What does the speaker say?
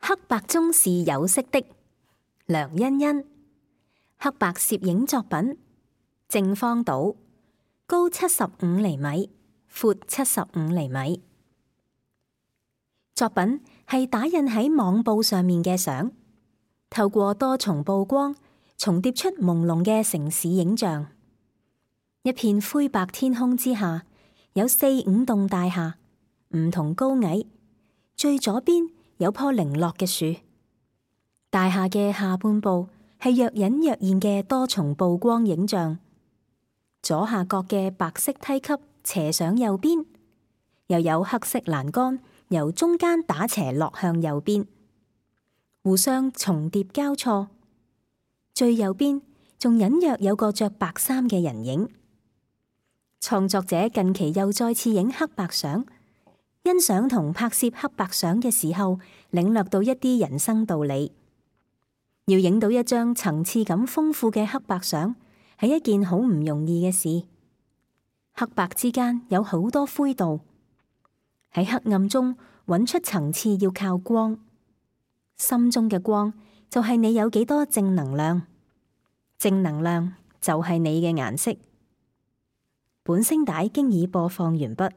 黑白中是有色的，梁欣欣。黑白攝影作品，正方島，高75厘米，闊75厘米。作品係打印喺網布上面嘅相，透過多重曝光，重疊出朦朧嘅城市影像。一片灰白天空之下，有4、5棟大廈，唔同高矮。最左邊有棵零落嘅樹，大廈嘅下半部係若隱若現嘅多重曝光影像。左下角嘅白色梯級斜上右邊，又有黑色欄杆由中間打斜落向右邊，互相重疊交錯。最右邊仲隱約有個着白衫嘅人影。創作者近期又再次影黑白相，欣賞同拍攝黑白相嘅時候，領略到一啲人生道理。要影到一張層次感豐富嘅黑白相，係一件好唔容易嘅事。黑白之間有好多灰度，喺黑暗中揾出層次要靠光。心中嘅光就係你有幾多正能量，正能量就係你嘅顏色。本聲帶經已播放完畢。